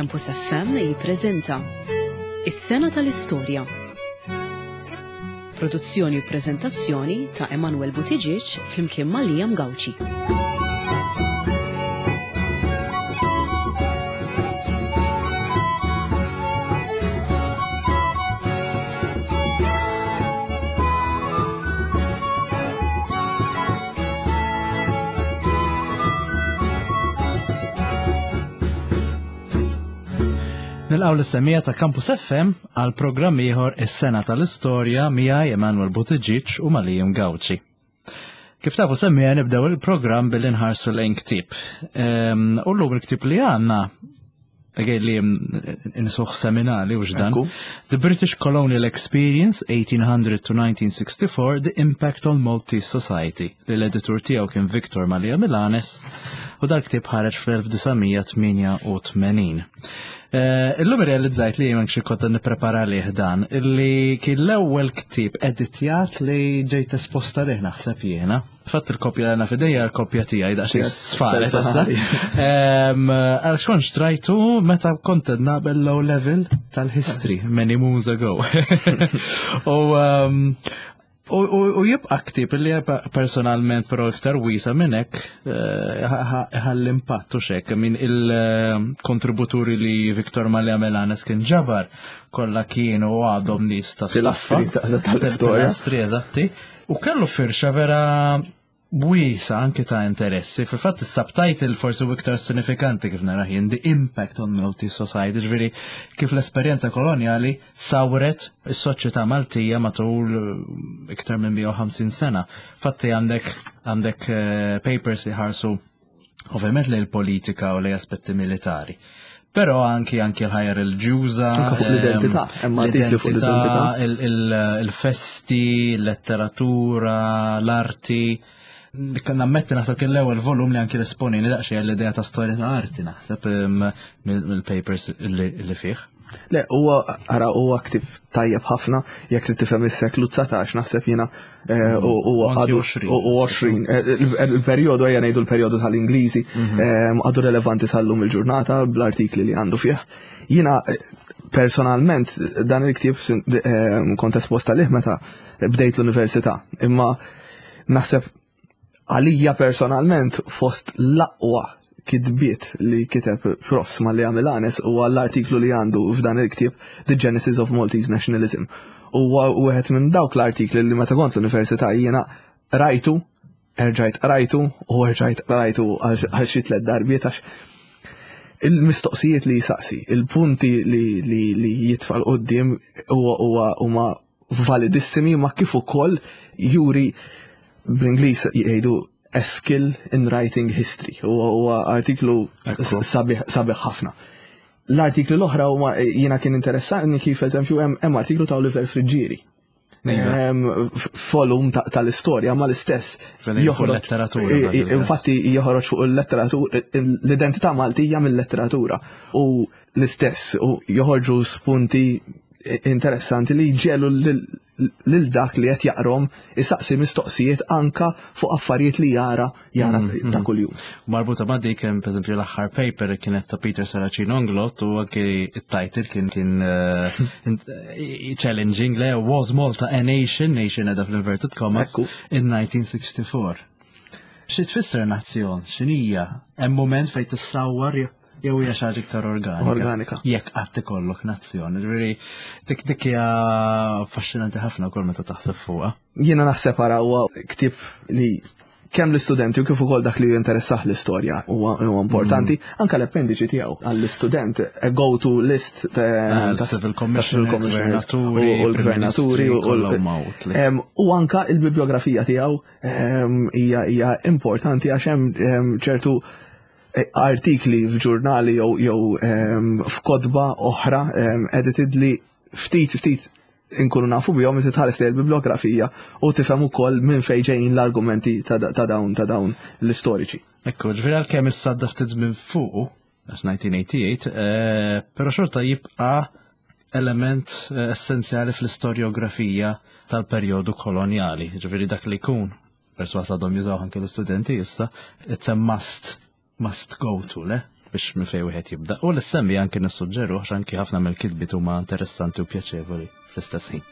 Campus FM jippreżenta Is-Sena tal-Istorja. Produzzjoni u preżentazzjoni ta' Emanuel Buttigieg flimkien ma' Liam Gauci. Nilqaw l-semija ta' Campus FM għal programm ieħor is-sena tal-istorja miegħi Emanuel Buttigieg u Malijum Gawċi. Kif tafu semmija nibdew il-programm billi nħarsu lejn ktieb. Ehm, u llum il-ktieb li għandna Again li nsuħ seminali u x'dan. The British Colonial Experience 1800 to 1964 The Impact on Maltese Society li l-editur tiegħu kien Victor Malia Milanes u dal-ktieb ħareġ fl-1988. Eh, illum realizzajt li jien xi kont nipprepara lih dan illi kien l-ewwel ktieb editjat li ġejt esposta lih naħseb jiena. Fatt il-kopja għana fidejja l-kopja tiegħi daqsxejn sfaret issa. Għal xkont xtrajtu meta kont naqbel low level tal-history many moons ago. U U jibqa' ktib li personalment però iktar wiesa minn hekk eh, ħall impatt u xek minn il-kontributuri li Viktor Malja Melanes kien ġabar kollha kienu għadhom nies ta' Pilastri tal-istorja. Pilastri eżatti. U kellu firxa vera wiesa anki ta' interessi. Fil-fatt is-subtitle forsi u iktar sinifikanti kif nara jien The Impact on Maltese Society, ġifieri kif l-esperjenza kolonjali sawret is-soċjetà Maltija matul eh, iktar minn 150 sena. Fatti għandek għandek eh, papers li ħarsu ovvjament lejn il-politika u lejn aspetti militari. Però anki anki l-ħajja reliġjuża. Anke fuq l-identità, hemm artikli fuq l-identità. Il-festi, l-letteratura, l-arti. Nammetti naħseb kien l-ewwel volum li anki l-esponini daqsxejn l-idea ta' storja ta' arti naħseb mill-papers li fih. Le, huwa ara huwa ktib tajjeb ħafna jekk trid tifhem is-seklu 19 naħseb jiena eh, u għadu 20. Eh, il-perjodu ejja ngħidu l-perjodu tal-Ingliżi mhm. eh, għadu relevanti sal-lum il-ġurnata bl-artikli li għandu fih. Jiena personalment dan il-ktieb kont esposta lih meta bdejt l-università, imma naħseb Għalija personalment fost l-aqwa kitbiet li kiteb Profs Mallia Milanes huwa l-artiklu li għandu f'dan il-ktieb The Genesis of Maltese Nationalism. Huwa wieħed minn dawk l-artikli li meta kont l-università jiena rajtu, erġajt qrajtu u erġajt qrajtu għal xi tliet darbiet għax il-mistoqsijiet li jisaqsi, il-punti li, li, li jitfa' 'l quddiem huwa huma validissimi ma kif ukoll juri bl-Ingliż jgħidu a skill in writing history. Huwa artiklu sabiħ ħafna. L-artikli l-oħra huma jiena kien interessani kif eżempju hemm artiklu ta' Oliver Friggieri. Volum tal-istorja ma l-istess. Joħroġ letteratura. Infatti joħroġ fuq il-letteratura, l-identità Maltija mill-letteratura. U l-istess u joħorġu spunti interessanti li jġelu lil dak li qed jaqrom isaqsi mistoqsijiet anka fuq affarijiet li jara jara mm, ta' mm. kuljum. Marbuta ma' dik hemm pereżempju l-aħħar paper li kienet ta' Peter Saracino Onglot u anke it-title kien kien eh, eh, challenging le Was Malta a Nation, nation edha fl-inverted commas, in 1964. Xi tfisser nazzjon? X'inhija? Hemm moment fejn tissawwar jew hija xi ħaġa iktar organika. Organika. Jekk qatt ikollok nazzjon. Ġifieri dik dik hija affaxxinanti ħafna wkoll meta taħseb fuqha. Jiena naħseb ara huwa ktieb li kemm l-istudenti u kif ukoll dak li jinteressah l-istorja huwa importanti, mm. anke l-appendiċi tiegħu għall-istudent a go-to list ta' ah, civil commissioners u l-gvernaturi u anka il-bibliografija tiegħu hija importanti għax hemm ċertu artikli f'ġurnali jew jew ehm, f'kotba oħra ehm, edited li ftit ftit inkunu nafu bihom inti tħares lejn il-bibliografija u tifhem ukoll minn fejn ġejjin l-argumenti ta' dawn ta' dawn l-istoriċi. Ekku, ġifieri għalkemm issa ftit minn fuq, għax 1988, eh, però xorta jibqa' element eh, essenzjali fl-istorjografija tal-perjodu kolonjali, ġifieri dak li jkun perswas għadhom jużaw anke l-istudenti issa, it's a must, must go to, le? biex minn fejn wieħed jibda. U l-semmi anki nissuġġeru għax anki ħafna mill-kitbiet huma interessanti u pjaċevoli fl-istess ħin.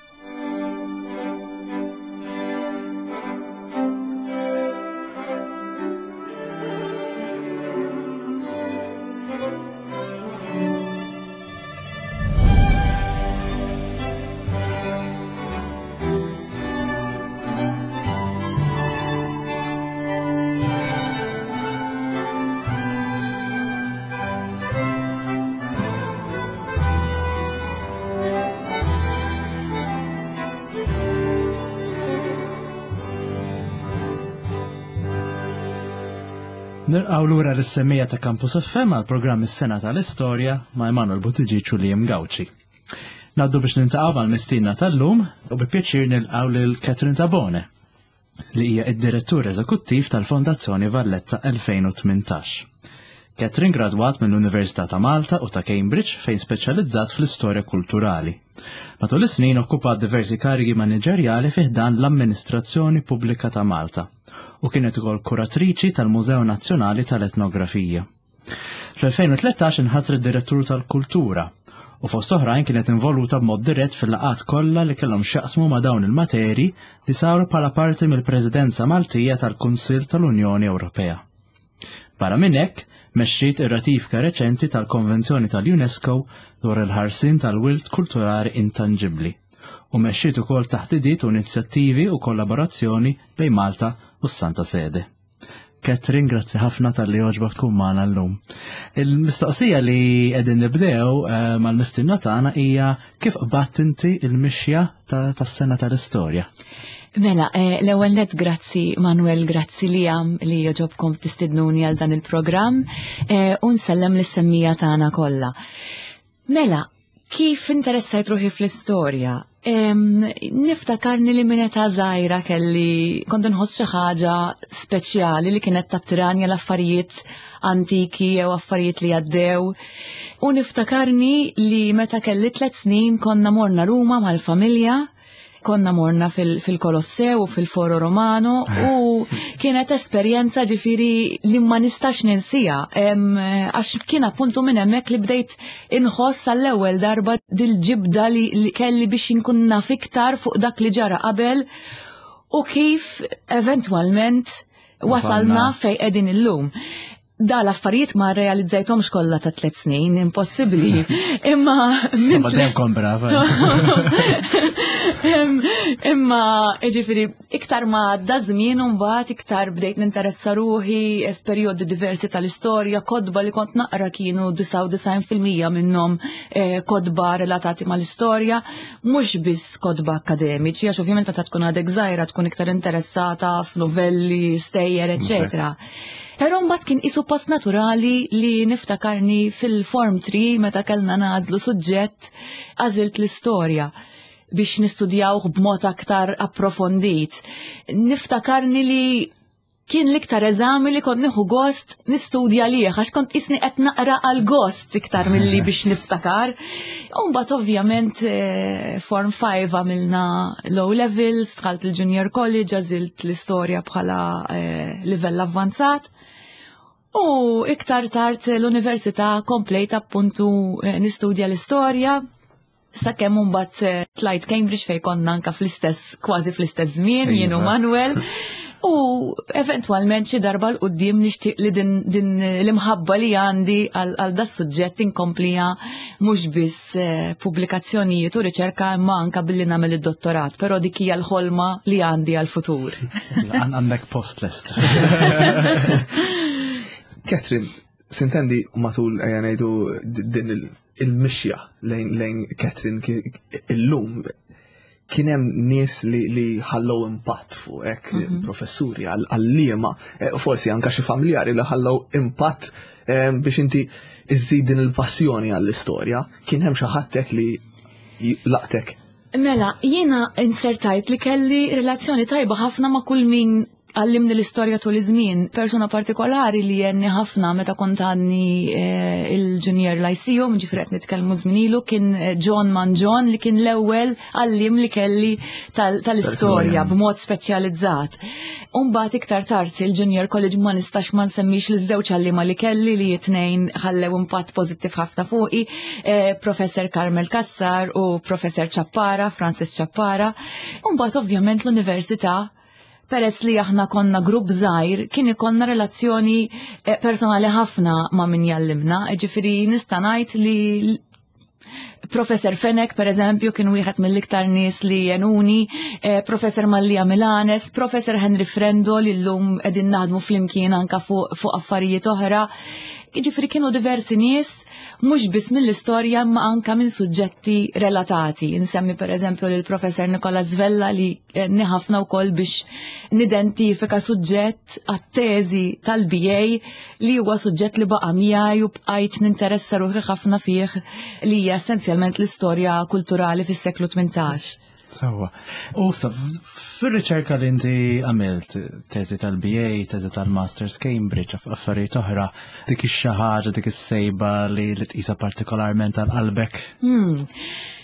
Nilqaw lura l-semmija ta' Campus FM għal programm is-sena tal-istorja ma' Emanuel Buttigieg u Liam Gauci. Naddu biex nintaqgħu mal-mistiedna tal-lum u bi pjaċir nilqgħu lil Catherine Tabone li hija id-Direttur Eżekuttiv tal-Fondazzjoni Valletta 2018. Catherine gradwat mill-Università ta' Malta u ta' Cambridge fejn speċjalizzat fl-istorja kulturali. Matul is-snin okkupat diversi karigi maniġerjali fi ħdan l-Amministrazzjoni Pubblika ta' Malta u kienet ukoll kuratriċi tal-Mużew Nazzjonali tal-Etnografija. Fl-2013 inħatret Direttur tal-Kultura u fost oħrajn kienet involuta b'mod dirett fil-laqgħat kollha li kellhom x'jaqsmu ma' dawn il-materi li saru bħala parti mill-Presidenza Maltija tal-Kunsill tal-Unjoni Ewropea. Barra minn hekk, mexxiet ir-ratifika reċenti tal-Konvenzjoni tal-UNESCO dwar il-ħarsien tal-wirt kulturali intanġibbli u mexxiet ukoll taħdidiet u inizjattivi u kollaborazzjoni bejn Malta u s-Santa Sede. Catherine, grazzi ħafna tal-li oġbok tkun magħna llum. Il-mistoqsija li qegħdin nibdew eh, mal-mistinna tagħna hija kif qbadt inti il-mixja tas-sena tal-istorja? Mela, eh, l-ewwel net grazzi Manuel, grazzi li għam li joġobkom tistidnuni għal dan il-programm eh, u nsellem lis-semmija tagħna kollha. Mela, kif interessajt ruħi fl-istorja? Niftakarni li minn età żgħira kelli kont inħoss xi ħaġa speċjali li kienet tattirani għal affarijiet antiki jew affarijiet li għaddew. U niftakarni li meta kelli tlet snin konna morna Ruma mal-familja konna morna fil-Kolossew u fil-Foro Romano u kienet esperjenza ġifiri li ma nistax ninsija għax kien appuntu minn hemmhekk li bdejt inħoss għall-ewwel darba dil-ġibda li kelli biex inkun naf iktar fuq dak li ġara qabel u kif eventwalment wasalna fej qegħdin illum. Da l-affarijiet ma realizzajthomx kollha ta' tliet snin, impossibbli. Imma Imma dejjem kon brava. Imma ġifieri iktar ma għadda żmien u mbagħad iktar bdejt ninteressa ruħi f'perjodi diversi tal-istorja, kodba li kont naqra kienu 99% minnhom eh, kodba relatati mal-istorja, mhux biss kodba akademiċi, għax ovvjament meta tkun għadek żgħira tkun iktar interessata f'novelli, stejjer, eċetera. Però mbagħad kien qisu post naturali li niftakarni fil-form 3 meta kellna nagħżlu suġġett għażilt l-istorja biex nistudjawh b'mod aktar approfondit. Niftakarni li kien l-iktar eżami li kont nieħu gost nistudja lih għax kont isni qed naqra għal gost iktar milli biex niftakar. U mbagħad ovvjament eh, form 5 għamilna low levels, dħalt il-junior college, għażilt l-istorja bħala eh, livell avvanzat. U iktar tard l-università komplejt appuntu eh, nistudja l-istorja, sakemm mbagħad eh, tlajt Cambridge fejn konna anka fl-istess kważi fl-istess żmien jien u iva. Manuel. U eventwalment xi darba l qudiem nixtieq li din, din l-imħabba li għandi għal da suġġett inkomplija mhux biss eh, pubblikazzjonijiet u riċerka imma anka billi nagħmel id-dottorat, però dik hija l-ħolma li għandi għal-futur. Għandek post lest. Catherine, sintendi matul ejja ngħidu din il-mixja lejn lejn Catherine illum kien hemm nies li, li ħallew impatt fuqek, mm -hmm. professuri, għalliema, eh, forsi anka xi familjari li ħallew impatt eh, biex inti iżżid din il-passjoni għall-istorja, kien hemm xi ħadd li laqtek. Mela, jiena insertajt li kelli relazzjoni tajba ħafna ma' kull min Għallimni l-istorja tul iż-żmien, persuna partikolari li għenni ħafna meta kont għadni eh, il-Junior Lyceum, ġifieri qed nitkellmu żmien ilu, kien eh, John Manġon li kien l-ewwel għallim li kelli tal-istorja b'mod speċjalizzat. Umbagħad iktar tard il-Junior College ma nistax ma nsemmix li żewġ għallima li kelli li jitnejn ħallew impatt pożittiv ħafna fuqi, eh, Professor Carmel Kassar u Professor Ċappara, Francis Ċappara. Umbagħad ovvjament l-Università peress li aħna konna grupp żgħir, kien ikollna relazzjoni eh, personali ħafna ma' min jallimna, ġifieri nista' ngħid li Professor Fenek, per eżempju, kien wieħed mill-iktar nies li jenuni, eh, Professor Mallia Milanes, Professor Henry Frendo li llum qegħdin naħdmu flimkien anka fuq fu affarijiet oħra. Jiġifieri kienu diversi nies mhux biss mill-istorja imma anka minn suġġetti relatati. Insemmi per eżempju lil Professor Nikola Zvella li għenni ħafna wkoll biex nidentifika suġġett għat-teżi tal-BA li huwa suġġett li baqa' miegħi u bqajt ninteressa ruħi ħafna fih li hija essenzjalment l-istorja kulturali fis-seklu 18. Sawa. U sa, fil-riċerka li inti għamilt, teżi tal-BA, teżi tal-Masters Cambridge, affarijiet oħra, dik ix-xi ħaġa, dik is-sejba li tqisha partikolarment għal qalbek? Hmm.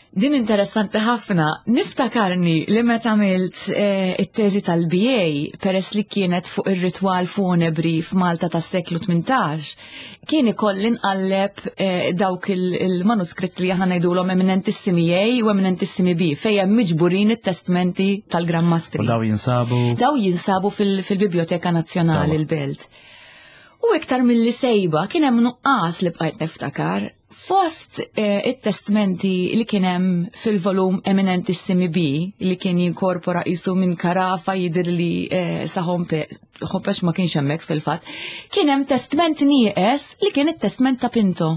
Din interessanti ħafna. Niftakarni li meta għamilt eh, it-teżi tal-BA peress li kienet fuq ir-ritwal funebri f'Malta tas-seklu 18, kien ikolli nqalleb eh, dawk il-manuskritt li aħna ngħidulhom eminentissimi A u eminentissimi B fejn hemm miġburin it-testmenti tal-Gran Mastri. U daw jinsabu? Daw jinsabu fil-Biblioteka Nazzjonali l-Belt. U iktar mill-li sejba kien hemm nuqqas li bqajt niftakar Fost eh, it-testmenti li kien hemm fil-volum Eminentissimi B li kien jinkorpora qisu minn Karafa jidher li eh, sa Hompex ma kienx hemmhekk fil-fatt, kien hemm testment nieqes li kien it-testment ta' Pinto.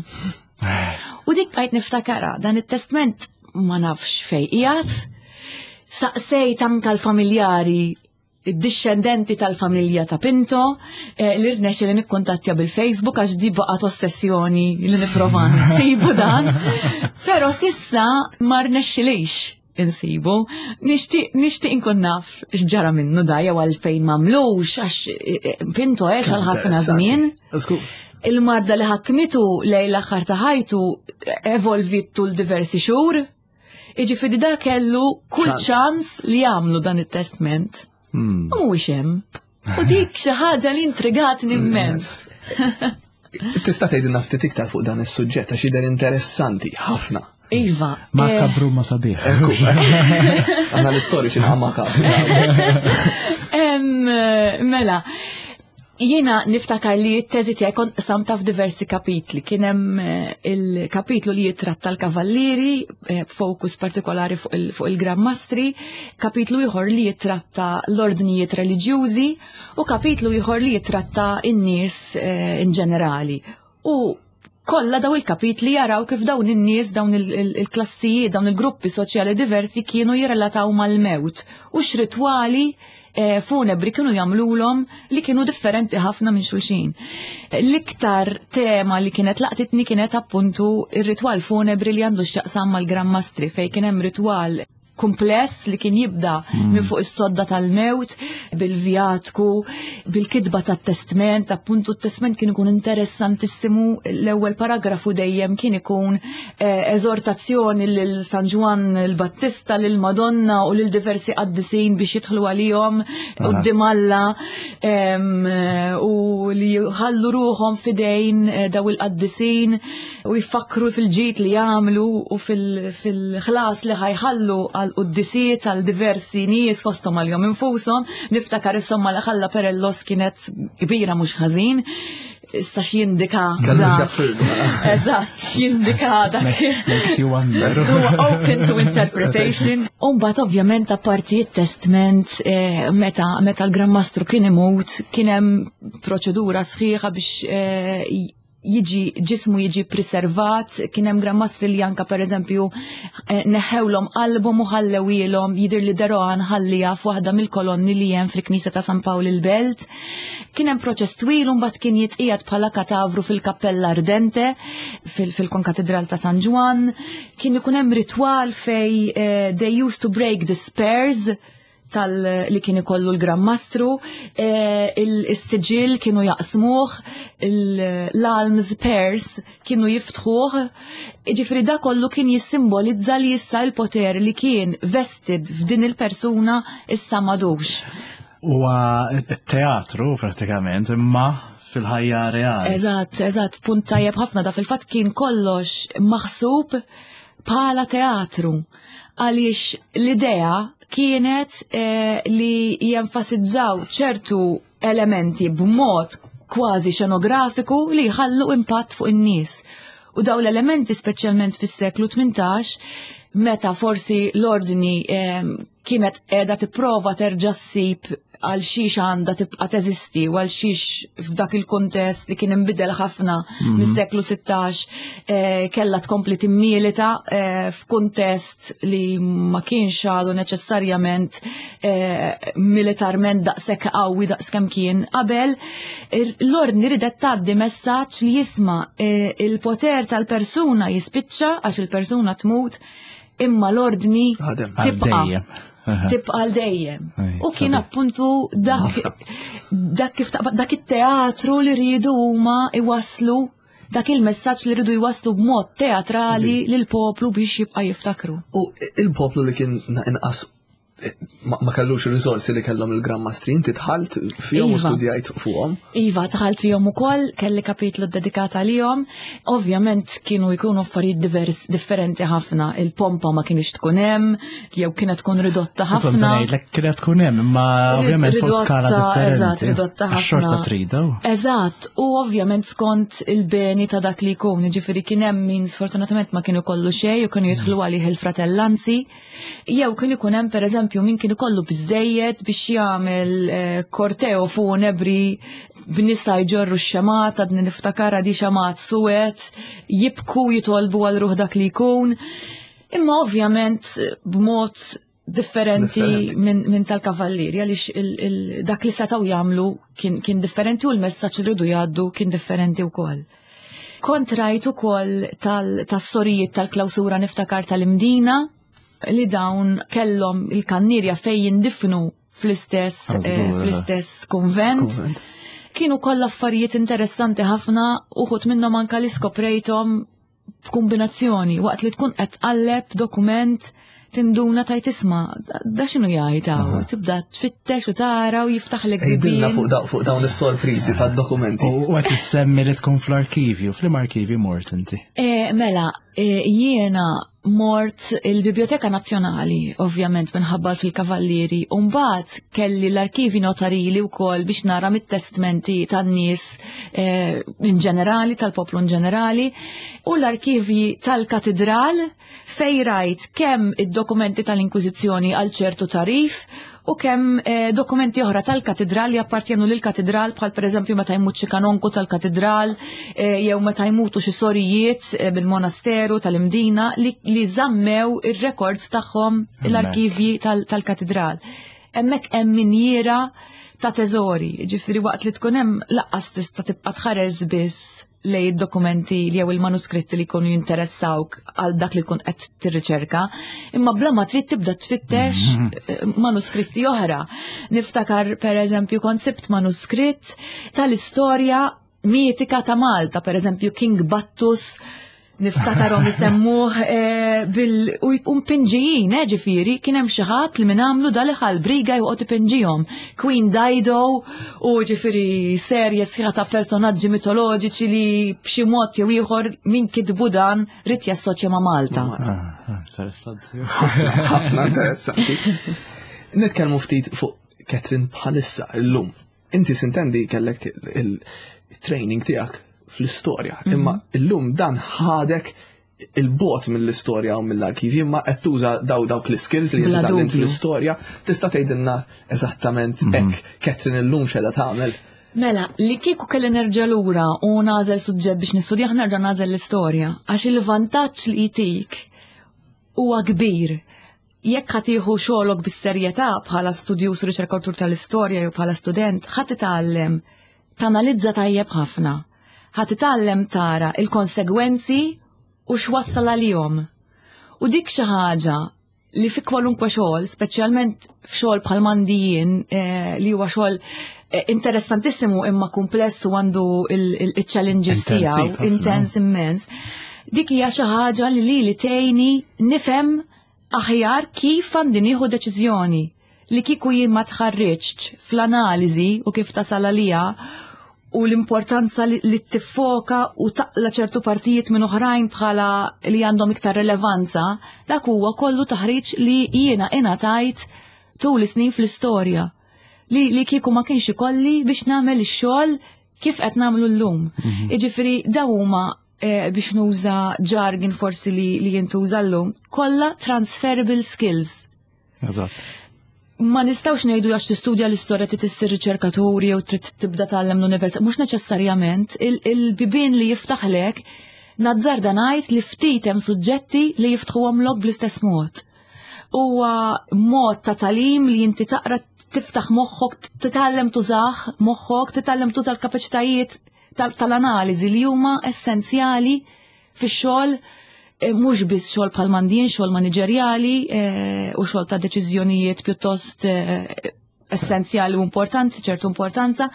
U dik bqajt niftakara, dan it-testment ma nafx fej qiegħed, saqsejt anka l-familjari id-dixxendenti tal-familja ta' Pinto eh, li rnexxi li nikkuntattja bil-Facebook għax di baqgħet ossessjoni li nipprova nsibu dan. Però sissa ma rnexxilix insibu. Nixtieq nixtieq inkun naf x'ġara minnu da jew għalfejn m'għamlux għax eh, eh, Pinto għex għal ħafna żmien. Il-marda li ħakmitu lejn l-aħħar ta' ħajtu evolvit tul diversi xhur. Iġifieri da kellu kull ċans li jagħmlu dan it-testment. Hmm. U mhuwiex hemm. U dik xi ħaġa li intrigatni immens. Tista' tgħidilna ftit iktar fuq dan is-suġġett għax jidher interessanti ħafna. Iva. Ma eh, kabru ma sabiħ. Għanna l-istoriċi ma kabru. Mela, Jiena niftakar li t-teżi tiegħi kont qsamta f'diversi kapitli. Kien hemm eh, il-kapitlu li jitratta l-kavallieri eh, b'fokus partikolari fuq il-Gran Mastri, kapitlu ieħor li jitratta l-ordnijiet reliġjużi u kapitlu ieħor li jitratta n-nies eh, in ġenerali. U kollha daw il-kapitli jaraw kif dawn in-nies, dawn il-klassijiet, dawn il-gruppi soċjali diversi kienu jirrelataw mal-mewt u x'ritwali eh, funebri kienu jagħmlulhom li kienu differenti ħafna minn xulxin. L-iktar tema li kienet laqtitni kienet appuntu ir-ritwal funebri li għandu x'jaqsam mal-Gran Mastri fejn kien hemm ritwal kumpless li kien jibda mm. minn fuq is-sodda tal-mewt, bil-vjatku, bil-kitba tat-testment, appuntu t-testment kien ikun interessantissimu, l-ewwel paragrafu dejjem kien ikun eh, eżortazzjoni lil San Ġwann il-Battista, lil Madonna u lil diversi qaddisin biex jidħlu għalihom quddiem Alla eh, u li jħallu ruħhom fidejn eh, daw il-qaddisin u jfakkru fil-ġid li jagħmlu u fil-ħlas li ħajħallu għal quddisiet għal diversi nies fosthom għalihom infushom. Niftakar is-somma li ħalla Perellos kienet kbira mhux ħażin. Issa x'jindika dak. Eżatt, x'jindika dak. Makes you wonder. Open to interpretation. Umbagħad ovvjament apparti t-testment eh, meta meta l-Gran Mastru kien imut kien hemm proċedura sħiħa biex eh, jiġi ġismu jiġi preservat, kien hemm Gran Mastri li anka pereżempju eh, neħewlhom qalbhom u ħallewilhom jidher li Derohan ħallija f'waħda mill-kolonni li hemm fil-Knisja ta' San Pawl il-Belt. Kien hemm proċess twil u mbagħad kien jitqiegħed bħala katavru fil-Kappella Ardente fil-Konkatedral ta' San Ġwann. Kien ikun hemm ritwal fej eh, they used to break the spurs. tal li kien ikollu l-Gran Mastru, eh, il-siġil kienu jaqsmuh, l-alms pairs kienu jiftħuh, ġifri da kollu kien jissimbolizza li issa il-poter li kien vested f'din il-persuna issa madux. Huwa teatru pratikament, imma fil-ħajja reali. Eżatt, eżatt, punt tajjeb ħafna da fil-fatt kien kollox maħsub bħala teatru. Għaliex l-idea kienet eh, li jenfasizzaw ċertu elementi b'mod kważi xenografiku li jħallu impatt fuq in-nies. U daw l-elementi speċjalment fis-seklu 18 meta forsi l-ordni eh, kienet qiegħda tipprova terġa' ssib għal xiex għandha tibqa' teżisti u għal xiex f'dak il-kuntest li kien inbidel ħafna mhm. mis-seklu 16 eh, kellha tkompli timmilita eh, f'kuntest li ma kienx għadu neċessarjament eh, militarment daqshekk qawwi daqskemm kien qabel. L-ordni ridet tgħaddi messaġġ li jisma' il-poter tal-persuna jispiċċa għax il-persuna tmut imma l-ordni tibqa' tibqa' għal dejjem. U kien appuntu dak dak kif dak it-teatru li rridu huma iwasslu dak il-messaġġ li rridu jwasslu b'mod teatrali lil poplu biex jibqa' jiftakru. U il-poplu li kien inqas ma kellux il-risorsi li kellhom il-Gran Mastri, inti dħalt fihom u iva. studjajt fuqhom. Iva, dħalt fihom ukoll, kelli kapitlu dedikat għalihom. Ovvjament kienu jkunu affarijiet divers differenti ħafna. Il-pompa ma kienx tkun hemm, jew kienet tkun ridotta ħafna. Ngħidlek kienet tkun hemm, imma ovvjament fuq skala differenti. Eżatt, ridotta ħafna. Xorta trida. Eżatt, u ovvjament skont il-beni ta' dak li jkun, ġifieri kien hemm min sfortunatament ma kienu kollu xejn u kienu jidħlu għalih il-fratellanzi. Jew kien ikun hemm pereżempju min kien ikollu biżejjed biex jagħmel eh, korteo funebri b'nisa jġorru x-xemat, għadni niftakar di xemat suwed, jibku jitolbu għal ruħ dak li jkun. Imma ovvjament b'mod differenti minn min tal-kavallieri għaliex dak li setgħu jagħmlu kien, kien differenti u l-messaġġ li rridu jgħaddu kien differenti wkoll. Kont rajt ukoll tas-sorijiet tal-klawsura niftakar tal-Imdina li dawn kellhom il-kannierja fejn jindifnu fl-istess eh, fl-istess konvent. Kienu kollha affarijiet interessanti ħafna uħud minnhom anka li skoprejthom f'kombinazzjoni waqt li tkun qed tqalleb dokument tinduna tajt isma' da x'inhu jgħid hawn, tibda tfittex u tara u jiftaħlek Għidilna fuq dawn is-sorpriżi tad-dokumenti. U qed issemmi li tkun fl-arkivju, fl arkivju mort inti? Eh, mela, eh, jiena mort il-Biblioteka Nazzjonali, ovvjament minħabba fil-Kavallieri, u mbagħad kelli l-arkivi notarili wkoll biex nara mit-testmenti tan-nies eh, in ġenerali, tal-poplu in ġenerali, u l-arkivji tal-katedral fej rajt kemm id-dokumenti tal-Inkwiżizzjoni għal ċertu tarif u kemm eh, dokumenti oħra tal-katedral li appartjenu lil katedral bħal pereżempju meta jmut xi kanonku tal-katedral eh, jew meta jmutu xi sorijiet eh, bil-monasteru tal-Imdina li, li żammew ir-rekords tagħhom l-arkivji tal-katedral. Hemmhekk hemm minjiera ta' teżori, ġifieri waqt li tkun hemm laqqas tista' tibqa' tħares biss lej id-dokumenti jew il-manuskritti li jkunu jinteressawk għal dak li tkun qed tirriċerka, imma bla ma trid tibda tfittex mhm. eh, manuskritti oħra. Niftakar pereżempju kont sibt manuskritt tal-istorja mitika ta' Malta, pereżempju King Battus niftakarhom isemmuh eh, bil u mpinġijin, eh, ġifieri, kien hemm xi ħadd li minn għamlu dal briga joqgħod ipinġihom. Queen Dido u ġifieri serje sħiħa ta' personaġġi mitoloġiċi li b'xi mod jew ieħor min kitbu dan rid jassoċja ma' Malta. Ah, ah, interessanti. Ħafna interessanti. Nitkellmu ftit fuq Catherine bħalissa illum. Inti sintendi kellek il-training tiegħek fl-istorja, mhm. imma illum dan ħadek il-bot mill-istorja u mill-arkivji, imma qed tuża daw dawk l-skills li qed fl-istorja, tista' tgħidilna eżattament mhm. hekk Catherine illum x'qegħda tagħmel. Mela, li kieku kelli nerġa' lura u nagħżel suġġett biex nistudjah nerġa' nagħżel l-istorja, għax il-vantaġġ li jtik huwa kbir. Jekk ħa tieħu xogħlok bis-serjetà bħala studjuż u riċerkatur tal-istorja jew bħala student, ħa titgħallem tanalizza tajjeb ħafna. Ħa titgħallem tara il-konsegwenzi u x'wassal għalihom. U dik xi ħaġa li fi kwalunkwe xogħol, speċjalment f'xogħol bħal m'għandi jien eh, li huwa xogħol eh, interessantissimu imma kumpless u għandu il-challenges tiegħu, intens immens. Dik hija xi ħaġa li li tgħinni nifhem aħjar kif għandi nieħu deċiżjoni li kieku jien ma tħarriġtx fl-analiżi u kif tasal għaliha u l-importanza li tiffoka u taqla ċertu partijiet minn oħrajn bħala li għandhom iktar relevanza, dak huwa kollu taħriġ li jiena ingħatajt tul is-snin fl-istorja. Li, li kieku ma kienx ikolli biex nagħmel ix-xogħol kif qed nagħmlu llum. Mhm. Jiġifieri daw huma eh, biex nuża jargon forsi li, li jintuża llum, kollha transferable skills. Eżatt. Ma nistgħux ngħidu għax tistudja l-istorja trid issir riċerkaturi jew trid tibda tgħallem l-università, mhux neċessarjament il-bibien li jiftaħlek nazzarda ngħid li ftit hemm suġġetti li jiftħuhomlok bl-istess mod. Huwa mod ta' talim li inti taqra tiftaħ moħħok, titgħallem tużah moħħok, titgħallem tuża l-kapaċitajiet tal-analiżi li huma essenzjali fix-xogħol eh, mhux biss xogħol bħal mandin, xogħol maniġerjali eh, u xogħol ta' deċiżjonijiet pjuttost eh, essenzjali u importanti, ċertu importanza,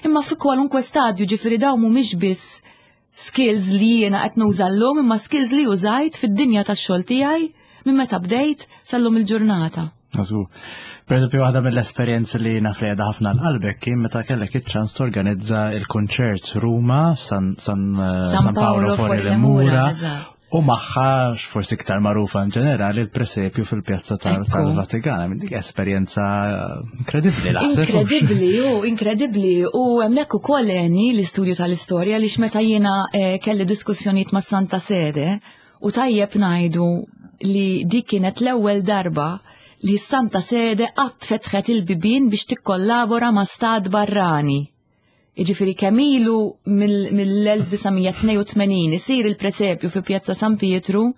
imma fi kwalunkwe stadju ġifieri dawn mhumiex biss skills li jiena qed nuża llum, imma skills li użajt fid-dinja tax-xogħol tiegħi minn meta bdejt sal-lum il-ġurnata. Għazu. Per eżempju, waħda mill-esperjenzi li naf li għedha ħafna l-qalbek kien meta kellek iċ-ċans torganizza il-konċert Ruma San, San, eh, San Paolo fuori le Mura u magħha forsi iktar magħrufa in ġenerali il-presepju fil-pjazza tal-Vatikan. Dik esperjenza inkredibbli naħseb. Inkredibbli, u inkredibbli. U hemmhekk ukoll għeni l-istudju tal-istorja li meta jiena eh, kelli diskussjonijiet ma' Santa Sede U tajjeb ngħidu li dik kienet l-ewwel darba li s-Santa Sede qatt fetħet il-bibien biex tikkollabora ma' stat barrani. Jiġifieri kemm ilu mill-1982 isir il-presepju fi Pjazza San Pietru,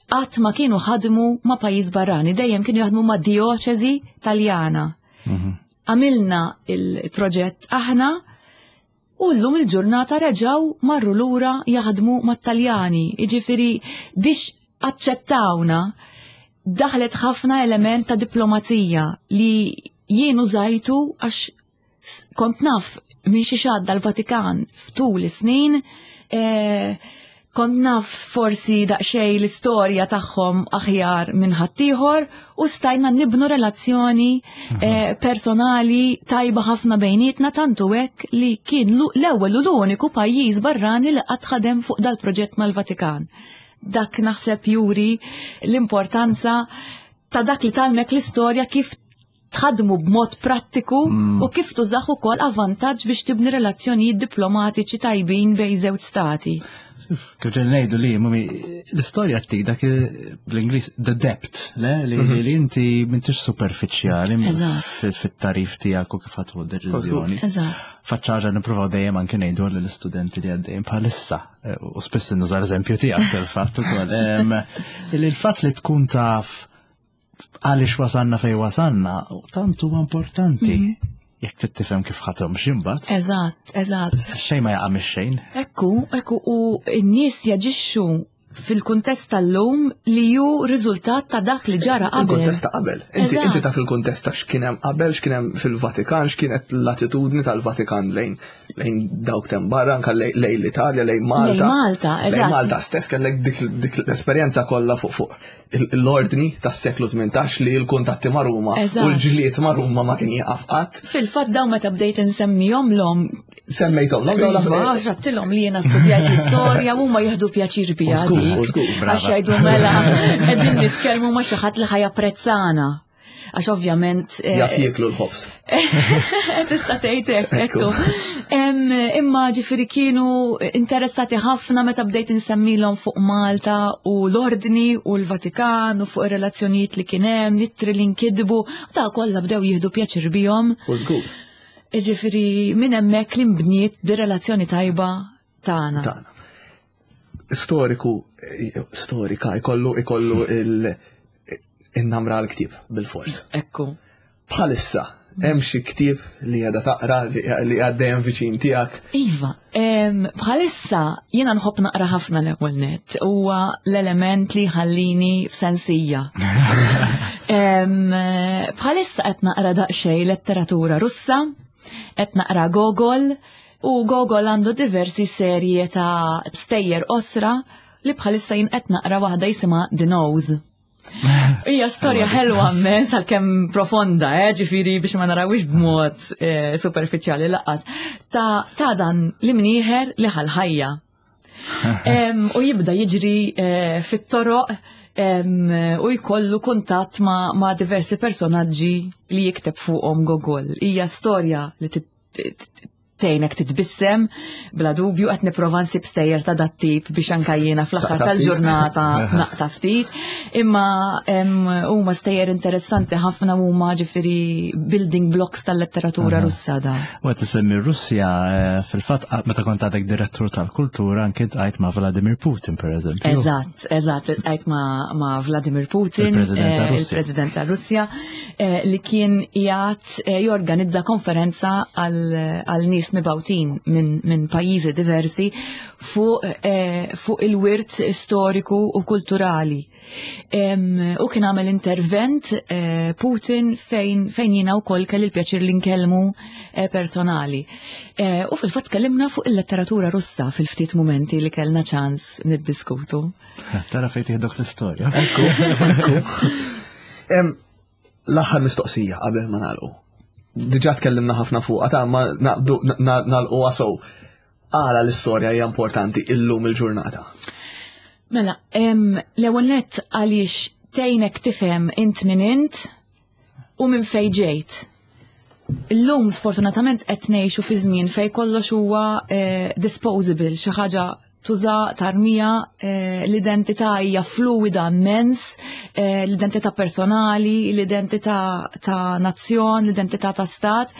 qatt ma kienu ħadmu ma' pajjiż barrani, dejjem kienu jaħdmu ma' dioċeżi Taljana. Mhm. Għamilna il-proġett aħna U llum il-ġurnata reġgħu marru lura jaħdmu mat-Taljani, jiġifieri biex aċċettawna daħlet ħafna element ta' diplomazija li jien użajtu għax kont naf minn xi xadda l-Vatikan f'tul is-snin eh, Kont naf forsi daqsxejn l-istorja tagħhom aħjar minn ħaddieħor u stajna nibnu relazzjoni eh, personali tajba ħafna bejnietna tantu hekk li kien l-ewwel u l-uniku pajjiż barrani li qatt ħadem fuq dal-proġett mal-Vatikan. Dak naħseb juri l-importanza ta' dak li talmek l-istorja kif tħaddmu b'mod prattiku mm. u kif tużaħ ukoll avvantaġġ biex tibni relazzjonijiet diplomatiċi tajbin bejn żewġ stati. Kif ġen ngħidu li mumi l-istorja tik dak bl-Ingliż the depth, le li mhm. li inti m'intix superfiċjali fit-tarif tiegħek u kif ħadħu deċiżjoni. Faċċaġa nippruvaw dejjem anke ngħidu lill-istudenti li għaddejjem bħalissa eh, u spiss nuża l-eżempju tiegħek fil-fatt ukoll. Il-fatt li tkun taf għaliex wasanna fej wasanna, tant huwa importanti. Mhm. Jekk trid tifhem kif ħatom x'imbagħad. Eżatt, eżatt. Xejn ma jaqa' mix-xejn. Ekku, ekku u n-nies jaġixxu fil-kuntest tal-lum li ju riżultat ta' dak li ġara qabel. Il-kuntest ta' qabel. Inti inti taf il-kuntest ta' x'kien hemm qabel, x'kien hemm fil-Vatikan, x'kienet l-attitudni tal-Vatikan lejn lejn dawk tem barra, anka lejn l-Italja, lejn Malta. Lejn Malta, eżatt. Lejn Malta stess kellek dik l-esperjenza kollha fuq fuq l-ordni tas-seklu 18 li l-kuntatti ma' Ruma u l-ġlied ma' Ruma ma kien jieqaf qatt. Fil-fatt dawn meta bdejt insemmihom l-om. Semmejthom l-om dawn iva, Għattilhom li jiena studjajt l-istorja u huma jieħdu pjaċir bija. Għax jgħidu mela qegħdin nitkellmu ma' xi ħadd li ħajapprezzana għax ovvjament. Eh, Jaf jieklu l-ħobs. Tista' tgħid hekk, ekku. Imma ġifieri kienu interessati ħafna meta bdejt insemmilhom fuq Malta u l-Ordni u l-Vatikan u fuq ir-relazzjonijiet li kien hemm, l-ittri li nkidbu, ta' kollha bdew jieħdu pjaċir bihom. U żgur. Ġifieri minn hemmhekk li nbniet di relazzjoni tajba tagħna. Tagħna. Storiku, storika, ikollu ikollu il-namra għal-ktib bil-fors. Ekku. Bħalissa, hemm xi ktieb li għadha taqra li għaddejjem viċin tiegħek? Iva, bħalissa jiena nħobb naqra ħafna l-ewwel net huwa l-element li ħallini f'sensija. Bħalissa qed naqra daqsxejn letteratura Russa, qed naqra Gogol, u Gogol għandu diversi serje ta' stejjer osra li bħalissa jien qed naqra waħda jisimha The Nose. Hija storja ħelwa immens għalkemm profonda, eh, ġifieri biex ma narawix b'mod eh, superfiċjali laqqas. Ta', ta dan l-imnieħer li ħal-ħajja. U jibda jiġri eh, fit-toroq u jkollu kuntatt ma, ma diversi personaġġi li jikteb fuqhom Gogol. Hija storja li tgħinek titbissem, bla dubju qed nipprova nsib stejjer ta' dat-tip biex anka jiena fl-aħħar tal-ġurnata naqta' ftit. Imma huma stejjer interessanti ħafna huma ġifieri building blocks tal-letteratura Russa da. U qed isemmi Russja eh, fil-fatt meta kont għadek direttur tal-kultura anke tqajt ma' Vladimir Putin pereżempju. Eżatt, eżatt, tqajt ma' Vladimir Putin, il-President tar-Russja, eh, li kien qiegħed Eh, jorganizza konferenza għal nies mibawtin minn min pajjiżi diversi fuq eh, fu il-wirt storiku u kulturali. U kien għamel intervent eh, Putin fejn, fejn jiena wkoll kelli l-pjaċir li nkellmu personali. U fil-fatt kellimna fuq il-letteratura Russa fil-ftit mumenti li kellna ċans niddiskutu. Tara fejn tieħdok l-istorja. Ekku, ekku. L-aħħar mistoqsija qabel ma nagħlqu. Diġà tkellimna ħafna fuqha ta' ma naqdu nagħlquha sew. Għala l-istorja hija importanti illum il-ġurnata? Mela, l-ewwel nett għaliex tgħinek tifhem int min int u minn fejn ġejt. Illum sfortunatament qed ngħixu fi żmien fejn kollox huwa eh, disposable, xi ħaġa tuża tarmija eh, l-identità hija fluwida immens, eh, l-identità personali, l-identità ta' nazzjon, l-identità ta' stat,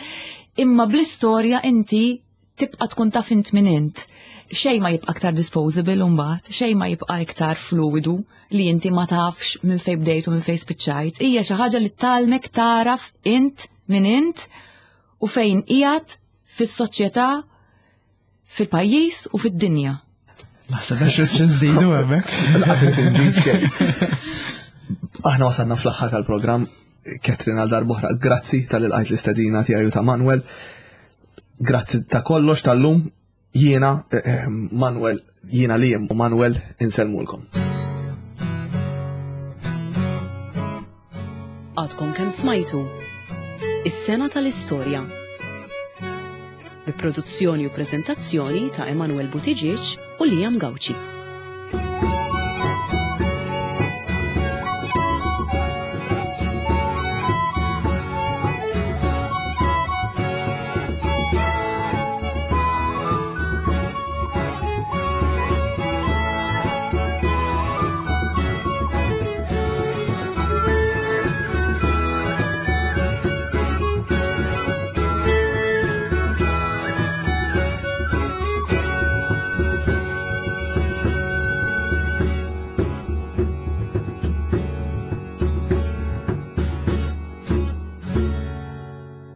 imma bl-istorja inti tibqa' tkun taf int min int. Xejn ma jibqa' aktar disposable mbagħad, xejn ma jibqa' iktar fluwidu li inti ma tafx minn fejn bdejt u minn fejn spiċċajt. Hija xi ħaġa li talmek taraf int min int u fejn qiegħed fis-soċjetà fil-pajjiż u fid-dinja. Naħseb għax nżidu hemmhekk. Naħseb nżid xejn. Aħna wasalna fl-aħħar tal-programm Katrin għal darbohra, grazzi tal-ilqajt l-istedina tiegħi ta' Manuel. Grazzi ta' kollox tal-lum jiena eh, eh, Manuel, jiena li u Manuel insellmulkom. Għadkom kemm smajtu Is-sena tal-istorja bi produzzjoni u preżentazzjoni ta' Emanuel Buttigieg u Liam Gauci.